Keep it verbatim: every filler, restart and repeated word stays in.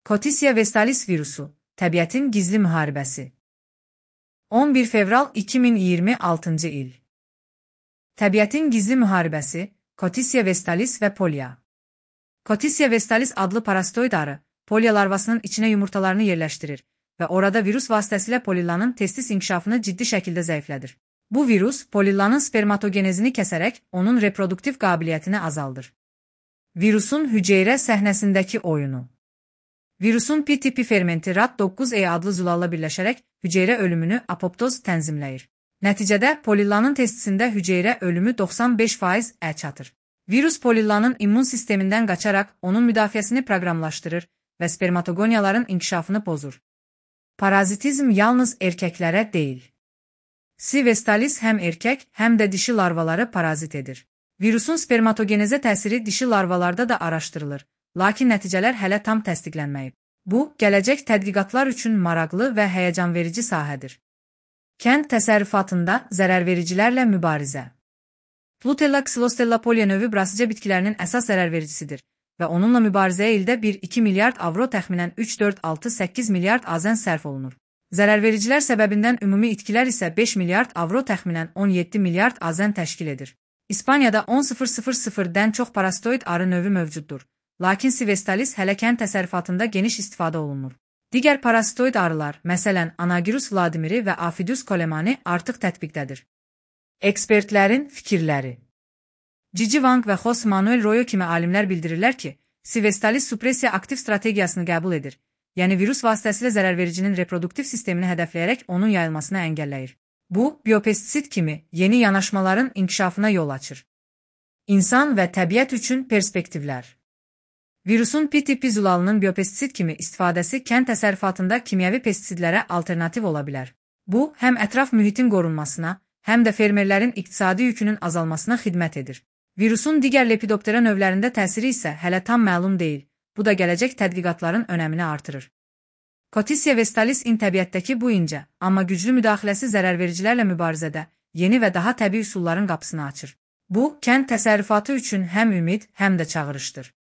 Cotissia vestalis virusu, təbiətin gizli müharibəsi. on bir fevral iki min iyirmi altıncı il. Təbiətin gizli müharibəsi, Cotissia vestalis və polya. Cotissia vestalis adlı parasitoid arı, polya larvasının içinə yumurtalarını yerləşdirir və orada virus vasitəsilə polillanın testis inkişafını ciddi şəkildə zəiflədir. Bu virus, polillanın spermatogenezini kəsərək onun reproduktiv qabiliyyətini azaldır. Virusun hüceyrə səhnəsindəki oyunu. Virusun P tipi fermenti R A D doqquz E adlı zulalla birləşərək hüceyrə ölümünü apoptoz tənzimləyir. Nəticədə polillanın testisində hüceyrə ölümü doxsan beş faiz ə çatır. Virus polillanın immun sistemindən qaçaraq onun müdafiəsini proqramlaşdırır və spermatogoniyaların inkişafını pozur. Parazitizm yalnız erkəklərə deyil. C. vestalis həm erkək, həm də dişi larvaları parazit edir. Virusun spermatogenezə təsiri dişi larvalarda da araşdırılır, lakin nəticələr hələ tam təsdiqlənməyib. Bu, gələcək tədqiqatlar üçün maraqlı və həyəcanverici sahədir. Kənd təsərrüfatında zərərvericilərlə mübarizə. Flutella xylostella polya növü brasica bitkilərinin əsas zərərvericisidir və onunla mübarizəyə ildə bir iki milyard avro təxminən üç dörd altı səkkiz milyard azən sərf olunur. Zərərvericilər səbəbindən ümumi itkilər isə beş milyard avro təxminən on yeddi milyard azən təşkil edir. İspaniyada on mindən çox parasitoid arı növü mövcuddur. Lakin C. vestalis hələ kənd təsərrüfatında geniş istifadə olunur. Digər parasitoid arılar, məsələn Anagyrus vladimiri və Aphidius colemani artıq tətbiqdədir. Ekspertlərin fikirləri. Cici Wang və Jose Manuel Royo kimi alimlər bildirirlər ki, C. vestalis supressiya aktiv strategiyasını qəbul edir, yəni virus vasitəsilə zərərvericinin reproduktiv sistemini hədəfləyərək onun yayılmasını əngəlləyir. Bu, biopestisid kimi yeni yanaşmaların inkişafına yol açır. İnsan və təbiət üçün perspektivlər. Virusun P tipi zulalının biopestisid kimi istifadəsi kənd təsərrüfatında kimyəvi pestisidlərə alternativ ola bilər. Bu, həm ətraf mühitin qorunmasına, həm də fermerlərin iqtisadi yükünün azalmasına xidmət edir. Virusun digər lepidoptera növlərində təsiri isə hələ tam məlum deyil, bu da gələcək tədqiqatların önəmini artırır. Cotissia vestalis in təbiətdəki bu incə, amma güclü müdaxiləsi zərərvericilərlə mübarizədə yeni və daha təbii üsulların qapısını açır. Bu, kənd təsərrüfatı üçün həm ümid, həm də çağırışdır.